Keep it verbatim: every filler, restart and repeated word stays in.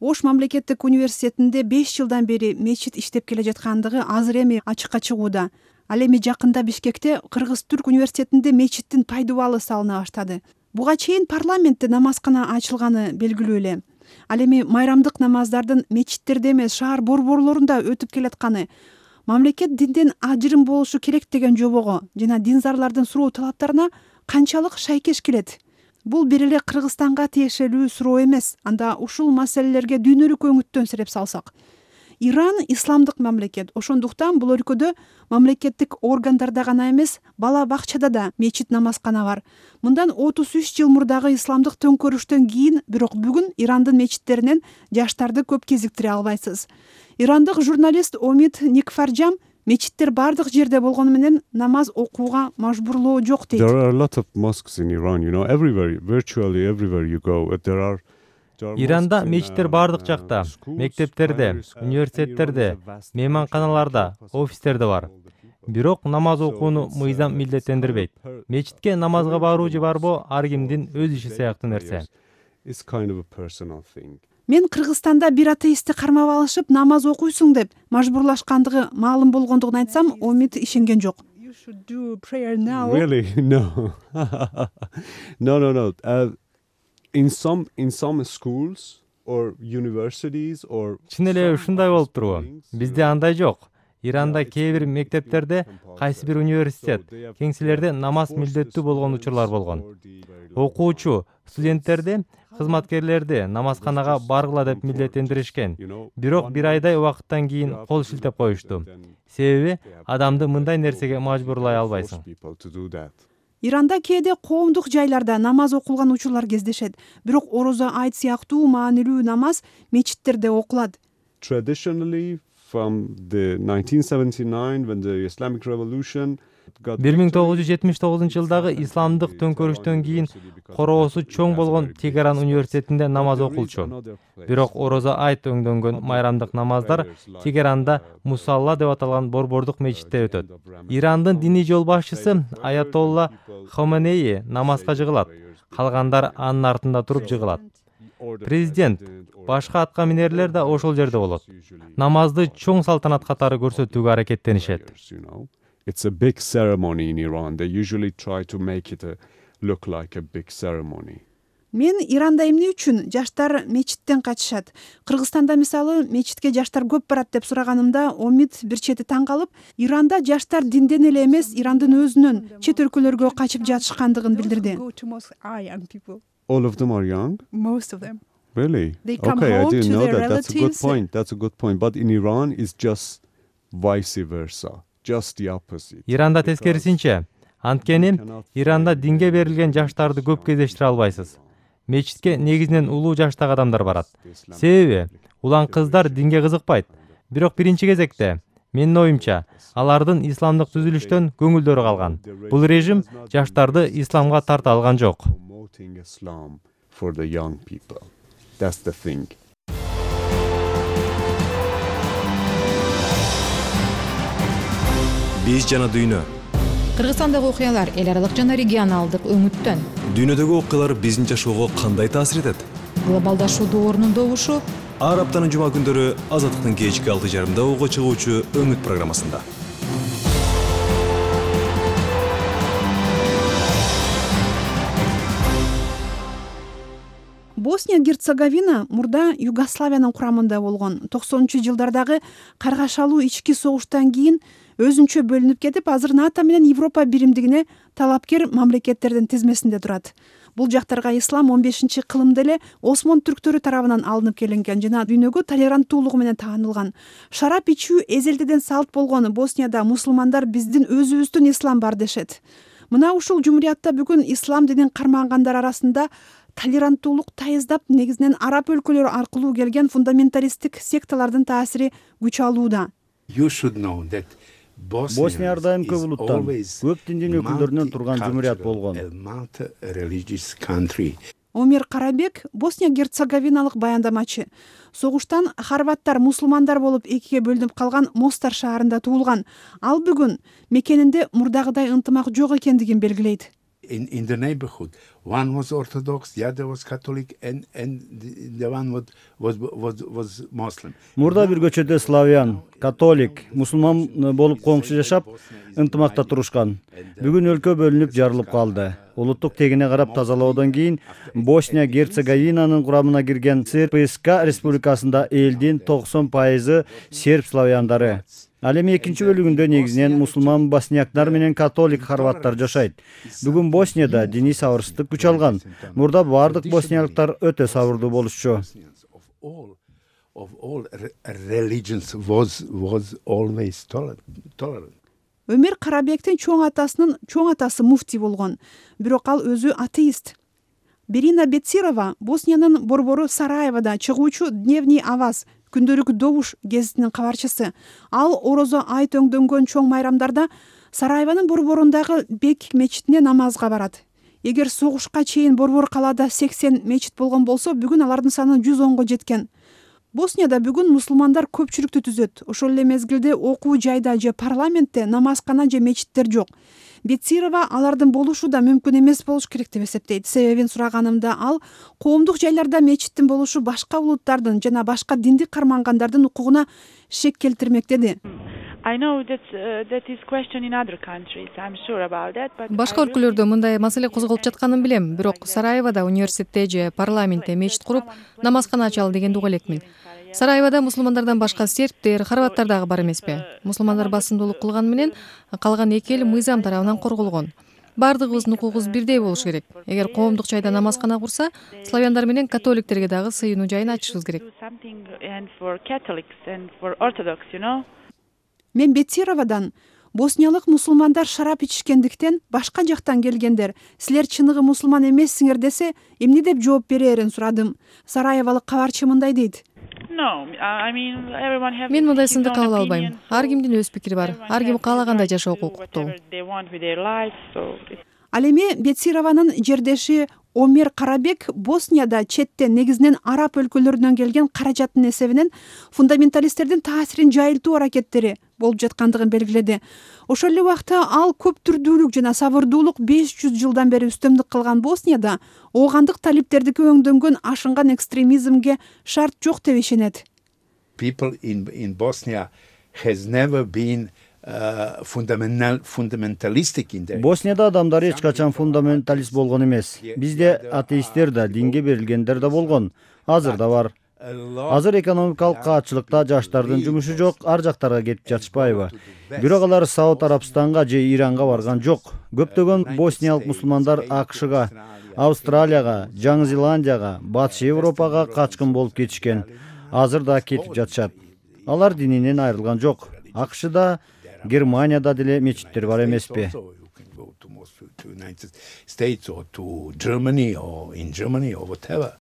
Ош мамлекеттик университетинде беш жылдан бери мечит иштеп келе жаткандыгы азыр эми ачыкка чыгууда. Ал эми жакында Бишкекте Кыргыз-Түрк университетинде мечиттин пайдубалы салына баштады. Буга чейин парламентте намазкана ачылганы белгилүү эле. Ал эми майрамдык намаздардын мечиттерде эмес, шаар борборлорунда өтүп келатканы, мамлекет динден ажырым болушу керек деген жобого жана динзарлардын суроо талаптарына канчалык шайкеш келет? Бул бир эле Кыргызстанга тиешелүү суроо эмес. Анда ушул маселелерге дүйнөлүк өңүттөн сереп салсак. Иран исламдык мамлекет. Ошондуктан бул өлкөдө мамлекеттик органдарда гана эмес, бала бакчада да мечит намазкана бар. Мындан отуз үч жыл мурдагы исламдык төңкөрүштөн кийин, бирок бүгүн Ирандын мечиттеринен жаштарды көп кезиктире албайсыз. Ирандык журналист Омид Никфарджам мечиттер бардык жерде болгону менен намаз окууга мажбурлоо жок дейт. There are a lot of mosques in Iran, you know, everywhere, virtually everywhere you go. There are Иранда мечиттер бардык жакта, мектептерде, университеттерде, мейманканаларда, офистерде бар. Бирок намаз окууну мыйзам милдеттендирбейт. Мечитке намазга баруу же барбоо ар кимдин өз иши сыяктуу нерсе. Мен Кыргызстанда бир атеистти кармап алышып, намаз окуйсуң деп мажбурлашкандыгы маалым болгондугун айтсам, Омид ишенген жок. You should do prayer now. Really? No. No, no, no. Uh, in some in some schools or universities or Чын эле ушундай болуп турбу. Бизде андай жок. Иранда кээ бир мектептерде, кайсы бир университет, кеңселерде намаз милдеттүү болгон учурлар болгон. Окуучу, студенттерди, кызматкерлерди намазканага баргыла деп милдеттендиришкен. Бирок бир айдай убакыттан кийин кол шилтеп коюшту. Себеби адамды мындай нерсеге мажбурлай албайсың. Иранда кээде коомдук жайларда намаз окулган учурлар кездешет. Бирок орозо, айт сыяктуу маанилүү намаз мечиттерде окулат. Traditionally from the nineteen seventy-nine when the Islamic Revolution бир миң тогуз жүз жетимиш тогузунчу жылдагы исламдык төңкөрүштөн кийин короосу чоң болгон Тегеран университетинде намаз окулчу. Бирок орозо айт өңдөнгөн майрамдык намаздар Тегеранда Мусалла деп аталган борбордук мечитте өтөт. Ирандын диний жол башчысы Аятолла Хоменеи намазга жыгылат. Калгандар анын артында туруп жыгылат. Президент, башка атка минерлер да ошол жерде болот. Намазды чоң салтанат катары көрсөтүүгө аракеттенишет. It's a big ceremony in Iran. They usually try to make it a, look like a big ceremony. Мен Иранда эмне үчүн жаштар мечиттен качышат? Кыргызстанда мисалы мечитке жаштар көп барат деп сураганымда Омид бир чети таң калып, Иранда жаштар динден эле эмес, Ирандын өзүнөн чет өлкөлөргө качып жатышкандыгын билдирди. All of them are young? Most of them. Really? They come okay, home I didn't to know their that. That's a good relatives. point. That's a good point. But in Iran, it's just vice versa. Just the opposite. Иранда тескерисинче. Анткени Иранда динге берилген жаштарды көп кездештире албайсыз. Мечитке негизинен улуу жаштагы адамдар барат. Себеби улан кыздар динге кызыкпайт. Бирок биринчи кезекте, менин оюмча, алардын исламдык түзүлүштөн көңүлдөрү калган. Бул режим жаштарды исламга тарта алган жок. For the young people. That's the thing. Биз жана дүйнө. Кыргызстандагы окуялар эл аралык жана регионалдык өңүттөн. Дүйнөдөгү окуялар биздин жашоого кандай таасир этет? Глобалдашуу доорунун добушу. Ар аптанын жума күндөрү Азаттыктын кечки алты жарымда ого чыгуучу өңүт программасында. Босния-Герцеговина мурда Югославиянын курамында болгон. токсонунчу жылдардагы каргашалуу ички согуштан кийин өзүнчө бөлүнүп кетип, азыр НАТО менен Европа биримдигине талапкер мамлекеттердин тизмесинде турат. Бул жактарга ислам он бешинчи кылымда эле Осмон түрктөрү тарабынан алынып келинген жана дүйнөгө толеранттуулугу менен таанылган. Шарап ичүү эзелдеден салт болгон Боснияда мусулмандар биздин өзүбүздүн ислам бар дешет. Мына ушул жумуриятта бүгүн ислам динин кармангандар арасында толеранттуулук тайыздап, негизинен араб өлкөлөрү аркылуу келген фундаменталисттик секталардын таасири күч алууда. Босния ар дайым көп улуттан, көп диндин өкүлдөрүнөн турган жумурият болгон. Омир Карабек Босния-Герцеговиналык баяндамачы. Согуштан хорваттар мусулмандар болуп экиге бөлүнүп калган Мостар шаарында туулган. Ал бүгүн мекенинде мурдагыдай ынтымак жок экендигин белгилейт. in in the neighborhood. One was Orthodox, the other was Catholic, and and the, the one was was was was Muslim. Мурда бир көчөдө славян, католик, мусулман болуп коңшу жашап, ынтымакта турушкан. Бүгүн өлкө бөлүнүп жарылып калды. Улуттук тегине карап тазалоодон кийин Босния Герцеговинанын курамына кирген СРПСК республикасында элдин токсон пайызы серб славяндары. Ал эми экинчи бөлүгүндө негизинен мусулман боснияктар менен католик хорваттар жашайт. Бүгүн Боснияда диний сабырсыздык күч алган. Мурда бардык босниялыктар өтө сабырдуу болушчу. Of all religions was was always tolerant. Өмөр Карабектин чоң атасынын чоң атасы муфти болгон, бирок ал өзү атеист. Берина Бецирова Босниянын борбору Сараевода чыгуучу Дневний Аваз күндөрүк добуш гезитинин кабарчысы. Ал орозо айт өңдөнгөн чоң майрамдарда Сараевонун борборундагы Бек мечитине намазга барат. Эгер согушка чейин борбор калаада сексен мечит болгон болсо, бүгүн алардын саны жүз онго жеткен. Боснияда бүгүн мусулмандар көпчүлүктү түзөт. Ошол эле мезгилде окуу жайда же парламентте намазкана же мечиттер жок. Бецирова алардын болушу да мүмкүн эмес болуш керек деп эсептейт. Себебин сураганымда ал коомдук жайларда мечиттин болушу башка улуттардын жана башка диндик кармангандардын укугуна шек келтирмек деди. Башка өлкөлөрдө мындай маселе козголуп жатканын билем, бирок Сараевода университетте же парламентте мечит куруп намазкана ачалы дегенди уга элекмин. Сараевода мусулмандардан башка сербтер, хорваттар дагы бар эмеспи? Мусулмандар басымдуулук кылган менен калган эки эл мыйзам тарабынан корголгон. Бардыгыбыздын укугубуз бирдей болуш керек. Эгер коомдук жайда намазкана курса, славяндар менен католиктерге дагы сыйынуу жайын ачышыбыз керек. Мен Бецировадан босниялык мусулмандар шарап ичишкендиктен башка жактан келгендер, силер чыныгы мусулман эмессиңер десе, эмне деп жооп берерин сурадым. Сараевалык кабарчы мындай дейт. Мен мындай сынды кабыл албайм. Ар кимдин өз пикири бар. Ар ким каалагандай жашоого укуктуу. Ал эми Бецированын жердеши Омер Карабек Боснияда четтен негизинен араб өлкөлөрүнөн келген каражаттын эсебинен фундаменталисттердин таасирин жайылтуу аракеттери болуп жаткандыгын белгиледи. Ошол эле убакта ал көп түрдүүлүк жана сабырдуулук беш жүз жылдан бери үстөмдүк кылган Боснияда оогандык талиптердики өңдөнгөн ашынган экстремизмге шарт жок деп ишенет. People in in Bosnia has never been Uh, fundamental fundamentalistic in there. Боснияда адамдар эч качан фундаменталист болгон эмес. Бизде атеисттер да, динге берилгендер да болгон. Азыр да бар. Азыр экономикалык каатчылыкта жаштардын жумушу жок, ар жактарга кетип жатышпайбы? Бирок алар Сауд Арабстанга же Иранга барган жок. Көптөгөн босниялык мусулмандар АКШга, Австралияга, Жаңы Зеландияга, Батыш Европага качкын болуп кетишкен. Азыр да кетип жатышат. Алар дининен айрылган жок. АКШда, Германияда деле мечиттер бар эмеспи? States or to Germany or in Germany or whatever.